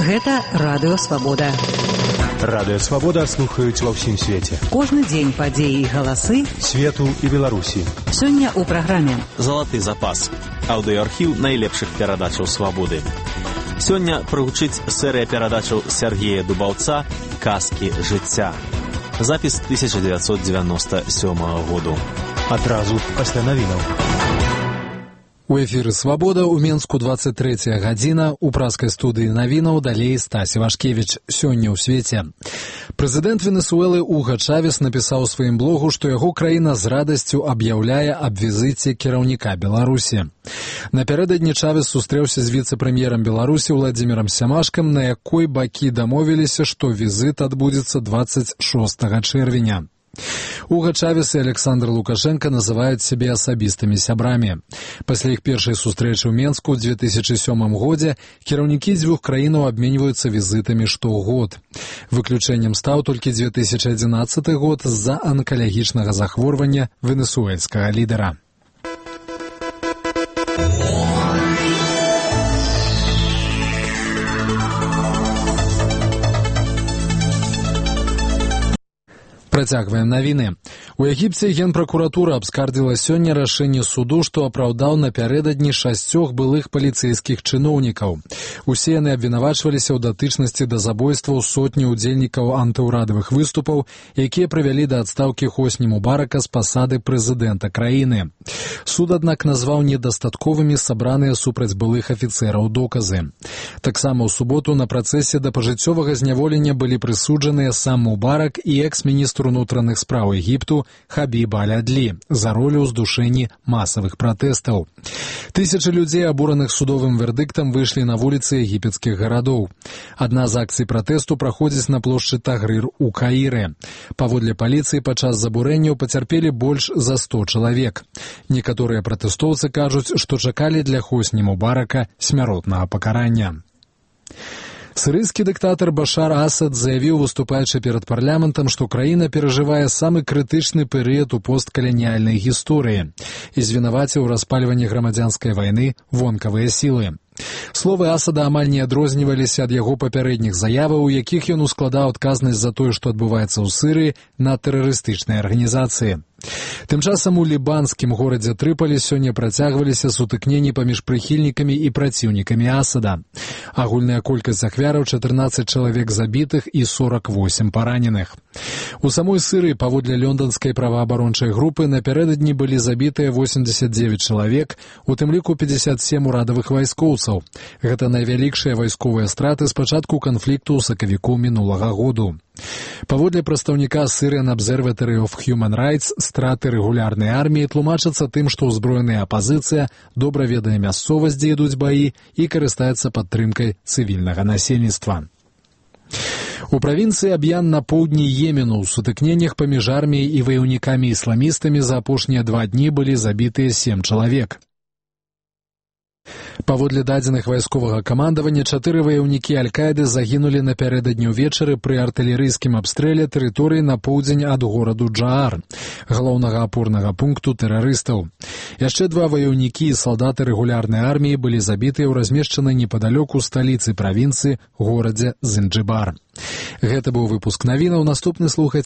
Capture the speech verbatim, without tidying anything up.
Гэта Радыё Свабода. Радыё Свабода слухаюць ва ўсім свеце. Кожны дзень падзеі і галасы свету і Беларусі. Сёння ў праграме «Залаты запас» – аўдыоархіў найлепшых перадачаў свабоды. Сёння прагучыць серыя перадачаў Сергея Дубаўца «Казкі жыцця». Запіс тысяча дзевяцьсот дзевяноста сёмага году. Адразу пасля навінаў. У эфіры «Свабода» у Менску двадцать третья гадзіна, у праскай студыі навінаў далей Стасі Вашкевіч. Сёння ў свеце. Прэзідэнт Венесуэлы Уга Чавес напісаў у сваім блогу, што яго краіна з радасцю аб'яўляе аб візіце кіраўніка Беларусі. Напярэдадні Чавес сустрэўся з віцэ-прэм'ерам Беларусі Владзімірам Сямашкам, на якой бакі дамовіліся, што візіт адбудзецца двадцать шостага чэрвеня. Уга Чавес і Александр Лукашенко называюць сябе асабістымі сябрамі. Пасля іх першай сустрэчы ў Менску ў две тысячы сёмым годзе кіраўнікі дзвюх краінаў абменьваюцца візітамі штогод. Выключэннем стаў толькі две тысячи адзінаццаты год з-за анкалагічнага захворвання венесуэльскага лідара. Працягваем навіны. У Егіпце генпракуратура абскардзіла сёння рашэнне суду, што апраўдаў напярэдадні шасцёх былых паліцэйскіх чыноўнікаў. Усе яны абвінавачваліся ў датычнасці да забойстваў сотні ўдзельнікаў антыўрадавых выступаў, якія прывялі да адстаўкі Хосні Мубарака з пасады прэзідэнта краіны. Суд, аднак, назваў недастатковымі сабраныя супраць былых афіцэраў доказы. Таксама ў суботу на працэсе да пажыццёвага зняволення былі прысуджаныя сам Мубарак і экс-міністр унутраных спраў Егіпту Хабіб Аль-Адлі за ролю ў здушэнні масавых пратэстаў. Тысячы людзей, абураных судовым вердыктам, выйшлі на вуліцы егіпецкіх гарадоў. Адна з акцый пратэсту праходзіць на плошчы Тагрыр у Каіры. Паводле паліцыі, падчас забурэнняў пацярпелі больш за сто чалавек. Некаторыя пратэстоўцы кажуць, што чакалі для Хосні Мубарака смяротнага пакарання. Сірыйскі дыктатар Башар Асад заявіў, выступаючы перад парламентам, што краіна перажывае самы крытычны перыяд у посткаланіяльнай гісторыі і звінаваціў у распальванні грамадзянскай вайны вонкавыя сілы. Словы Асада амаль не адрозніваліся ад яго папярэдніх заяваў, у якіх ён ускладаў адказнасць за тое, што адбываецца ў Сірыі, на тэрарыстычныя арганізацыі. Тым часам у лібанскім горадзе Трыполі сёння працягваліся сутыкненні паміж прыхільнікамі і праціўнікамі Асада. Агульная колькасць ахвяраў чатырнаццаць чалавек забітых і сорок восемь параненых. У самой Сірыі, паводле лёнданскай праваабарончай групы, напярэдадні былі забітыя восемьдесят девять чалавек, у тым ліку пятьдесят семь урадавых вайскоўцаў. Гэта найвялікшыя вайсковыя страты з пачатку канфлікту ў сакавіку мінулага году. Паводле прадстаўніка Syrian Observatory of Human Rights, страты рэгулярнай арміі тлумачацца тым, што ўзброеная апазіцыя добра ведае мясцовасць, дзе ідуць баі, і карыстаецца падтрымкай цывільнага насельніцтва. У правінцыі Аб'ян на поўдні Йемену ў сутыкненнях паміж арміяй і ваяўнікамі-ісламістамі за апошнія два дні былі забітыя сем чалавек. Паводле дадзеных вайсковага камандавання, чатыры ваяўнікі Аль-Каіды загінулі напярэдадні ўвечары пры артылерыйскім абстрэле тэрыторыі на поўдзень ад гораду Джаар, галоўнага апорнага пункту тэрарыстаў. Яшчэ два ваяўнікі і салдаты рэгулярнай арміі былі забітыя ў размешчанай непадалёку сталіцы правінцыі горадзе Занджыбар. Гэта быў выпуск навінаў. Наступны слухайце